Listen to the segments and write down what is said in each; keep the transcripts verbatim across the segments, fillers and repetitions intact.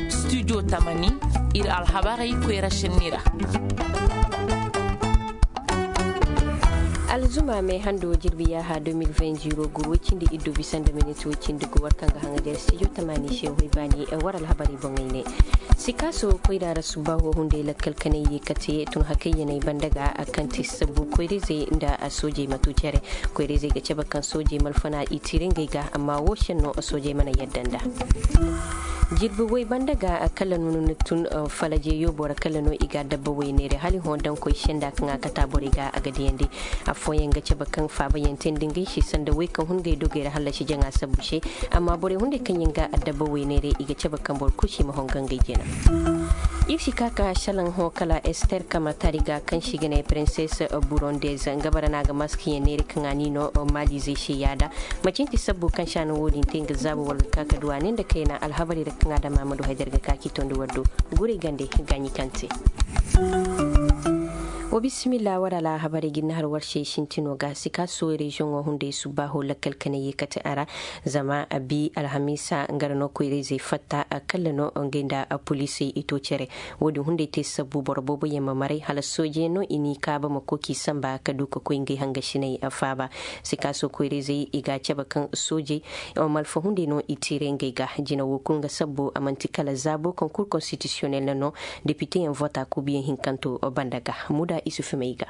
Studio tamani, iri alhabarey koyra senni ra. Alzuma me hando jirbi yaaha deux mille vingt zéro gu way cindi iddu bisa nda miniti way cindi gu war kaŋ ga haŋajer studio tamani se way baani war alhabarey boŋey ne. Sikaso koyra ra subbaaho hunday lakkal kanay ye kate tun hakayyaney banda ga a kaŋ ti sabbu koyra izey nda a soojey ma tu cere. Koyra izey ga cabe kaŋ soojey malfana i tiire ngey ga amma wo senno soojey mana yadda nda. Jirbi way banda ga a kala no ni tun falaje yoobo ra kala no i ga dabba way neere hala i hõ daŋ koy senda kaŋ a kata borey ga a ga diyandi. Afooyaŋ ga cabe kaŋ faabayaŋ te nda ngey se sanda way kaŋ hun ngey dogey ra hallasi jaŋa sabbu se. Amma borey hunday kaŋ yaŋ ga a dabba way neere i ga cabe kaŋ boro kulu si ma hongo ngey jina. Iri si ka ka salaŋ hõ kala ester kamatari ga kaŋ si ga ne princess burondez nga bara no a ga mask yaŋ neere kaŋ a ni no malizey se yaada. Macin ti sabbu kaŋ si a no wo- din te nga zaabo wala ga ka ka du a ne nda kayna alhabarey ra kaŋ a dama ma du haydar ga ka k'i tondi war do. Guray gande gaaɲi kaŋ te. Wa bisimilla war alhabarey ga iri na har war se sintino ga sikaso reziyoŋo hunday subbaaho lakkal kanay ye kate a ra. Zama a bi alhamiisa nga ra no koyra izey fatta a kalla no ngey nda a poliisey i to cere. Wo- din hunday te sabbu boro boobo yaŋ ma maray hala soojeyaŋ no i n'i kaaba ma koy k'i samba ka du ka koy ngey hangasiney a faaba. Sikaso koyra izey i ga a cabe kaŋ soojey malfa hunday no i tiire ngey ga jina wo kulu nga sabbo a manti kala zaabo kaŋ kur konstitisiyonel na no. Depite yaŋ vota kuubiyaŋ hinkanto banda ga muda isufu may ga.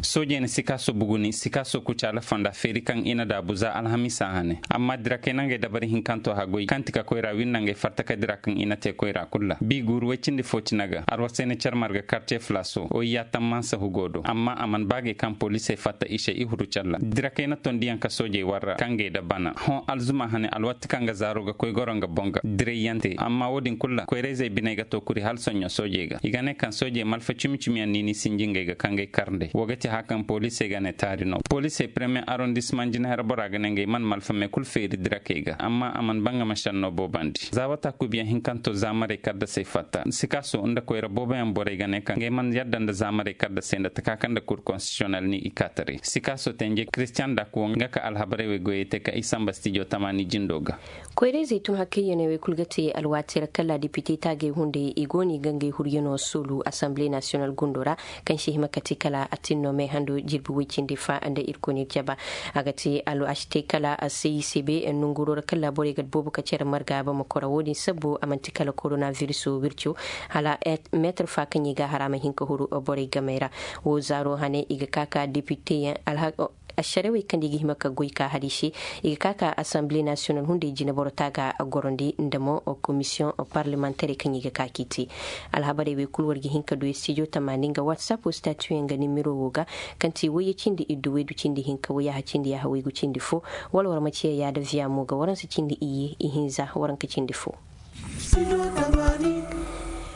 Soojey na sikaaso buguni sikaaso kucaala fonda feeri kaŋ i na daabu za alhamiisa hane amma dirakey na ngey dabari hinkanto haggoy kaŋ ti ka koyra wirna ngey farta ka dira kaŋ i na te koyra kulu ra bi guuru way cindi fo cina ga arwasay na care marga karce flaso oy yaatam mansa hugo do amma a mana baagey kaŋ poliisey fatta i se i huru care ra dirakey na tondiyaŋ ka soojey warra kaŋ ngey da bana hõ alzuma hane alwaati kaŋ ga zaaro ga koy goro nga boŋ ga diray yaŋ te amma wo- din kulu ra koyrayzey biney ga to kuri hala soɲɲo soojey ga i ga ne kaŋ soojey malfa cimi cimi yaŋ niini sinji ngey ga kaŋ gay karndey wo ga ti hã kaŋ poliisey ga ne taari no poliisey premier arrondisseman jinahar bora ga ne ngey mana malfa me kulu feeri dirakey ga amma a mana bangama senno boobandi za wata kuubiyaŋ hinkanto za marey kaddasey fatta sikaso nda koyra booboyaŋ borey ga ne kaŋ ngey mana yadda nda za marey kaddasey nda taka kaŋ nda kur konstitisiyonel ni i ka taray sikaso tenje christian dakuwo nga ka alhabarey wey goyey te ka i samba stijo tamaani jindo ga. Koyra izey tun hakayyaney wey kulu ga te alwaati ra kala depite taagey hunday i go no i ga ngey huryanoo soolu assemblee nasiyonal gundo ra kaŋ si hima ka te kala a tin no me hando jirbi way cindi fa nda irkoyne jaba. A ga te alwaati te kala a se i se be nonguro ra kala borey ga boobo ka care marga bamako ra wo- din sabbo a manti kala korona viriso wirco hala meetar fa kaŋ i ga hara ma hin ka huru borey gamey ra. Wo zaaro hane i ga ka ka depiteyaŋ alhak asharawey kaŋ i ga hima ka goy ka hari se i ga ka ka assemblee nasiyonal hunday jine boro taaga a gorondi nda mo komisiyoŋ parlemantarey kaŋ i ga ka k'i te. Alhabarey wey kulu war ga hin ka du studio tamaani nga whatsapp statuyaŋ ga nimiro wo ga kaŋ ti wayye cindi iddu waydu cindi hinka wayyaha cindi yaaha waygu cindi fo. Wala war ma ciya yaada viya mo ga waransa cindi iyye ihinza waranka cindi fo.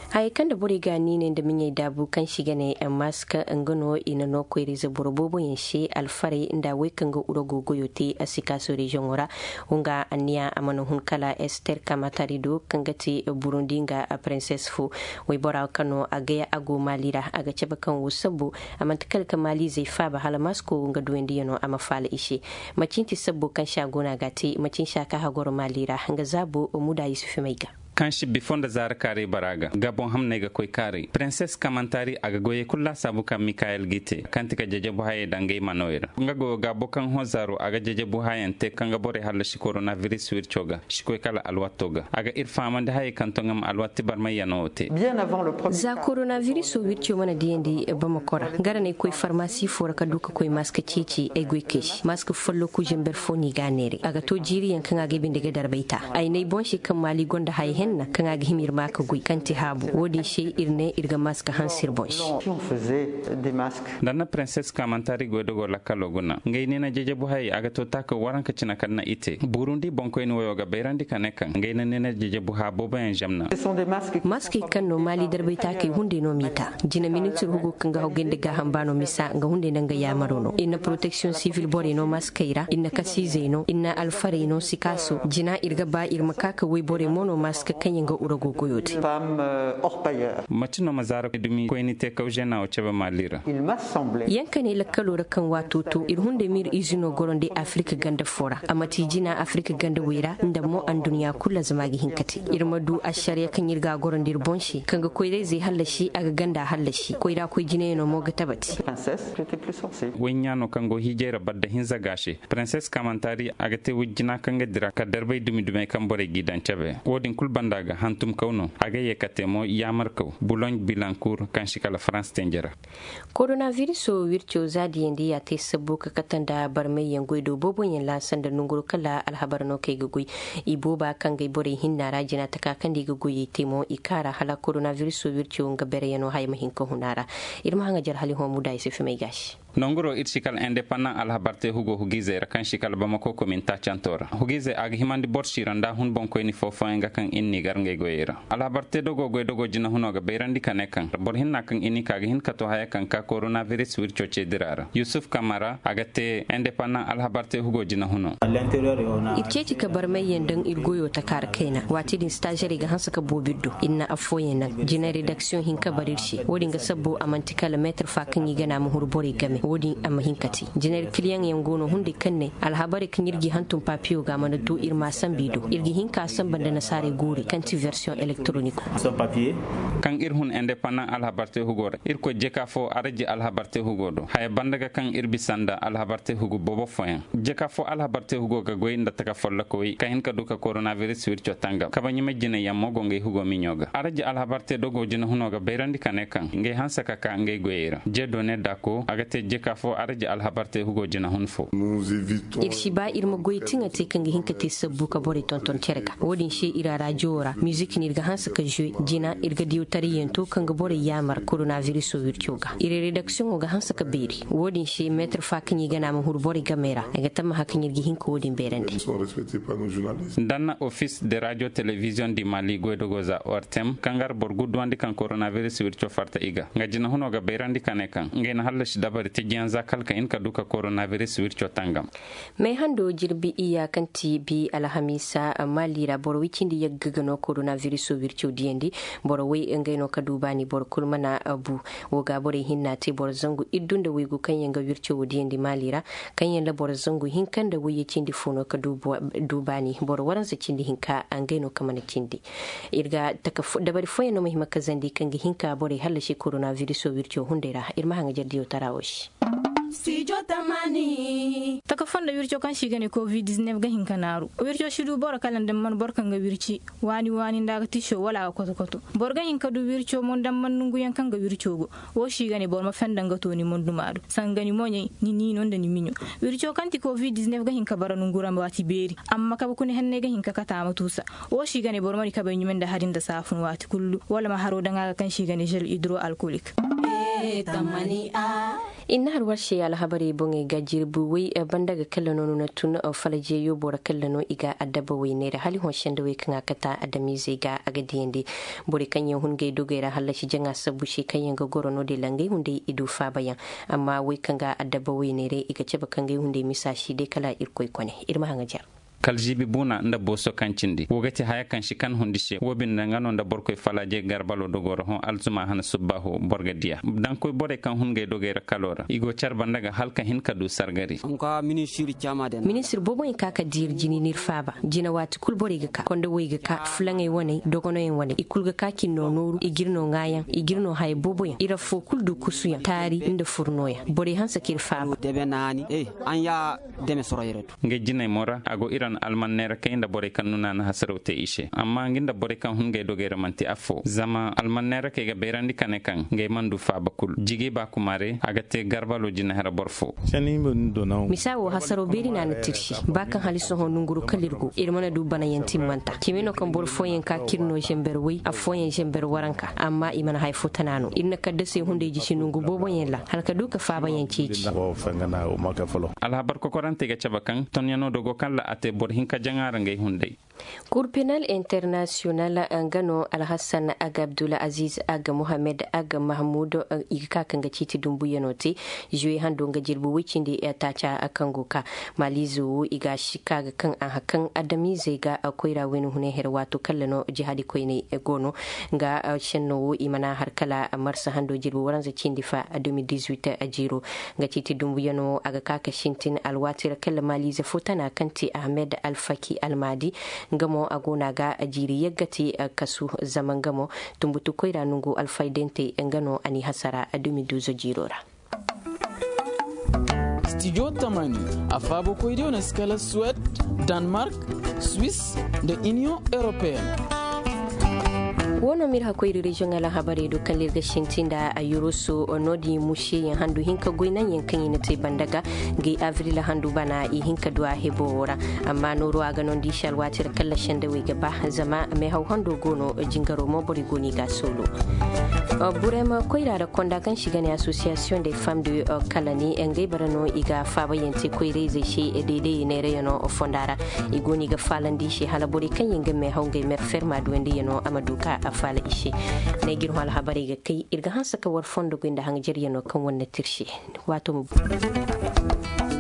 Hayey kaŋ nda borey ga niiney nda miɲey daabu kaŋ si ga ne mask nga no i na no koyra-ize boro boobo yaŋ se alfarey nda wey kaŋ ga urago goyo te a si ka sooreziyoŋo ra. Wo nga anniya a mana hun kala ester kamatari do kaŋ ga ti burundi nga prinses fo. Waybora kaŋ no a gay a go maali ra a ga cabe kaŋ wo sabbo a manti kala ka maaliizey faaba hala masko nga duwandiyano a ma faala i se. Macin ti sabbo kaŋ se a go no a ga a te macin se a ka hagoro maali ra nga zaabo muda yusufu may ga. Kaŋ si bifo nda zaara kaaray bara ga gabon hamney ga koy kaaray prinses kamantari a ga goyey kulu laasaabu kaŋ mikayel g'i te kaŋ ti ka jajabu hayey daŋ ngey manoy ra nga goyo gaabo kaŋ hõ zaaro a ga jajabu hayaŋ te kaŋ ga borey hallasi koronaviris wirco ga si koy kala alwaato ga a ga iri fahamandi hayey kaŋ to nga ma alwaati barmayyano wo te. Za koronaviriso wirco mana diyandi bamako ra, gara no ay koy farmasi fo ra ka du ka koy maska ceeci ay goy kay se maska folloku zamber fo no i ga a neeray a ga to jiiriyaŋ kaŋ a ga ay binde ga darbay ta ay n'ay boŋ se kaŋ maali gonda haya henna kaŋ a ga hima iri ma ka goy kaŋ ti haabu wo- din se iri ne iri ga maska hanse iri boŋ se. Da na prinses kaamantari goy dogo lakkalo guna ngey neena jejebu hayey a ga to taakaw waranka cina kaŋ na i te burundi boŋkoyne wayo ga bayrandi ka ne kaŋ ngey na neena jejebu haa booboyaŋ zamna. Maskey kaŋ no maali darbay taakey hunday no m'i ta. Jina minitir hugo kaŋ ga hawgay nda gaaham baano misa nga hunday nda nga yaamaro no i na poroteksiyoŋ sivil borey no maskey ra i na kasiizey no i na alfarey no sikaaso jina iri ga ba iri ma ka ka wayborey mo no maska. Kaŋ yaŋ ga urago goyo te. Mace no ma zaara dumi koyni te kaw zena wo cabe mali ra. Yaŋ kane lakkalo ra kaŋ waato to iri hunday ma iri izino goro nda afirka ganda fo ra a ma ti jina afirka ganda way ra nda mo anduɲɲa kulu ra zama a ga hin ka te. Iri ma du ašariya kaŋ iri ga a goro nda iri boŋ se kaŋ ga koyrayzey hallasi a ga ganda hallasi koyra koy jinayaŋo mo ga tabati. Wayɲaano kaŋ go hiijay ra badda hinza ga a se. Prinses kamantari a ga te wujjina kaŋ ga dira ka darbay dumi dumey kaŋ borey g'i daŋ cabe wo- din kulu banda ga hantum kaw no a ga ye ka te mo yaamarkaw buloɲ bilankur kaŋ si kala farans tenjera. Koronaviriso wirco za diyandi ya te sabbu ka kate nda barmayyaŋ goy do booboyaŋ laasa nda nanguro kala alhabar no kaŋ ay ga goy. I booba kaŋ ga ay borey hinna ra jina taka kaŋ nda i ga goyey te mo i kaara hala koronaviriso wirco nga bereyaŋo haya ma hin ka hun a ra. Iri ma haŋajar hala i hõ muda i se fimay gaasi. Nanguro iri si kala indepandan alhabar te hugo hugiizey ra kaŋ si kala bamako komin taacanto ra hugiizey a ga himandi boro siira nda hun boŋkoyni foofoyaŋ ga kaŋ iri n'i gar ngey goyey ra. Alhabar te dogo goy dogo jinahuno ga bayrandi ka ne kaŋ boro hinna kaŋ i n'i ka ga hin ka to haya kaŋ ka koronaviris wirco ceedira ra yusuf kamara a ga te indepandan alhabar te hugo jinahuno. Iri ceeci ka barmayyaŋ daŋ iri goyo taka ra kayna waati din staazerey ga hanse ka boobo iri do iri na affooyaŋ naŋ jina redaksiyoŋ hinka bara iri se wo- din ga sabbu a manti kala meetir fa kaŋ i gana ma huru borey game wo- din a ma hin ka te. Jinari kiliyaŋ yaŋ go no hunday kaŋ ne alhabarey kaŋ iri g'i hantum papiyo ga mana to iri ma a sambu i do iri ga hin ka a samba nda nasaarey guuri kaŋ ti version elektoroniko. Kaŋ iri hun indepandan alhabar te hugo ra irkoy jeka fo araji alhabar te hugo do haya banda ga kaŋ iri bisa nda alhabar te hugo boobo fooyaŋ. Jeka fo alhabar te hugo ga goy nda taka follokawey ka hin ka du ka koronaviris wirco tangam kabaɲumay jinayaŋ mo go ngey hugo miɲo ga araji alhabar te dogo jinahuno ga bayrandi ka ne kaŋ ngey hanse ka ka ngey goyey ra jeedone dako a ga te jeka fo araji alhabar te hugo jinahun fo. Iri si ba iri ma goy tiŋa te kaŋ ga hin ka te sabbu ka borey tonton cere ga wo- din se iri a rajo wo ra mizik no iri ga hanse ka zuwe jina iri ga diyo tariyyaŋ to kaŋ ga borey yaamar koronaviriso wirco ga iri redaksiyoŋo ga hanse ka beeri wo- din se meetir fa kaŋ i gana ma huru borey game ra a ga tammaha kaŋ iri ga hin ka wo- din beerandi. Danna ofis de radio television di mali goydogo za ortem kaŋ gar boro gu duwandi kaŋ koronaviris wirco farta i ga nga jinahuno ga bayrandi ka ne kaŋ ngey na hallasi dabari tijiyaŋ za kala ka hin ka du ka koronaviris wirco tangam. May hando jirbi iyya kaŋ ti bi alhamiisa mali ra boro way cindi yagga ga no koronaviriso wirco diyandi. Boro way ngey no ka du baani boro kulu mana bu. Wo ga borey hinna te boro zangu iddu nda waygu kaŋ yaŋ ga wirco wo diyandi mali ra kaŋ yaŋ ra boro zangu hinka nda wayye cindi fo no ka du baani boro waranza cindi hinka ngey no ka mana cindi. Iri ga dabari fooyaŋ no ma hima ka zandi kaŋ ga hin ka borey hallasi koronaviriso wirco hunday ra iri ma haŋajar diyo tara wo se. Taka fondo wirco kaŋ se i ga ne covid dix-neuf ga hin ka naaru wirco si du boro kala nda mana boro kaŋ ga wirci waani waani nda a ga tiso wala a ga koto koto. Boro ga hin ka du wirco mo nda mana nonguyaŋ kaŋ ga wirco go wo se i ga ne boro ma fenda nga to ni monduma do sanga ni moɲey ni niino nda ni miɲo. Wirco kaŋ ti covid dix-neuf ga hin ka bara nongu ra waati beeri amma kabe kuna henney ga hin ka kate a ma tuusa. Wo se i ga ne boro ma di kabey ɲumay nda hari nda saafun waati kullu wala ma haro daŋ a ga kaŋ se i ga ne zel hidro alkolik. Iri na har war se alhabarey boŋey ga jirbi way banda ga kalla no no na tun falajeyo boro kalla no i ga addaba wayney ra hala i hõ sendawey kaŋ a kata adamizey ga a ga diyandi. Borey kaŋ yaŋ hun ngey dogey ra hallasi jaŋa sabbu se kaŋ yaŋ ga goro no-din ra ngey hunday i du faabayaŋ. Amma way kaŋ ga addaba wayney ra i ga cabe ka ngey hunday misa si day kala irkoy kone iri ma haŋajar. Kala ziibi buuna nda booso kaŋ cindi wo ga ti haya kaŋ si kan hundi se wo binde nga no nda borkoy falaaje garbalo dogo ra hõ alzuma hana subbaaho boro ga diya daŋ koy borey kaŋ hun ngey dogey ra kalo ra i go care banda ga hala ka hin ka du sargari. Ministir boobo yaŋ ka ka diiri jini n'iri faaba jina waati kulu borey ga ka konda way ga ka fulaŋey waney dogono yaŋ waney i kulu ga ka k'iri no nooru i g'iri no ŋaayaŋ i g'iri no haya boobo yaŋ iri affo kulu du kusu yaŋ taari nda furno yaŋ borey hanse k'iri faaba. Ngey jinay mo ra a go iran almanneerakey nda borey kaŋ nuna na hasaraw te i se amma nga nda borey kaŋ hun ngey dogey ra manti affo zama almanneerakey ga bayrandi ka ne kaŋ ngey mana du faaba kulu jigi ba kumare a ga te garbalo jinahara boro fo. Misa wo hasaraw beeri no a na tirsi ba kaŋ hala sohõ nonguru kala iri go iri mana du banayaŋ timmanta cime no kaŋ boro fooyaŋ ka k'iri no zember way affooyaŋ zember waranka amma i mana haya fo tana no iri na kaddasey hunday jisi nongu booboyaŋ ra hala ka du ka faabayaŋ ceeci. Alhabar kokorantey ga cabe kaŋ tonyaŋo dogo kaŋ ra a te boro hinka jaŋa ra ngey hunday. Kur penal international nga no alhassan aga abdul aziz aga mohammed aga mahmud, i ga ka kaŋ ga ciiti dumbuyano te. Juwe hando nga jirbi wicindi taaca kaŋ go ka malizo wo i ga shika ga kaŋ a hakan adamizey ga koyra wayna hunay here waato kalla no jihadi koyney go no. Nga shenno wo i mana har kala marsa hando jirbi waranza cindi fa deux mille dix-huit jiro. Nga ciiti dumbuyano a ga ka ka sintin alwaati ra kala malize fo tana kaŋ te ahmed alfaki almadi. Nga mo a go no a ga jiiri yagga te kasu zama nga mo tumbutu koyra nungu alfaydante nga no a n'i hasara deux mille douze jiro ra. Studio tamani, a faabo koydiyo no si kala Suwed, Danmark, Swiss, nda Union Européenne. Wo no m'iri hakkoyri reziyoŋ alhabarey do kala iri ga sintin nda a yurusu no-din museyaŋ handu hinka goy naŋ yaŋ kaŋ i na te banda ga. Ngey avril handu bana i hinka du a hebo wo ra. Amma nooru a ga no nda i se alwaati ra kala sendawey ga ba zama meehaw hando go no. Jingaro mo borey go no i ga a soolo. Burema koyra ra konda kaŋ si ga ne association des femmes de kalani ngey bara no i ga faabayaŋ te koyrayzey se. Deedey neerayano fonda ra i go no i ga faalandi i se hala borey kaŋ yaŋ ga meehaw ngey mer ferma duwandiyano a ma du ka a faala i se. N'ay g'iri hõ alhabarey ga kay iri ga hanse ka war fondo goy nda haŋ jaryano kaŋ war na te iri se. Waato ma bu.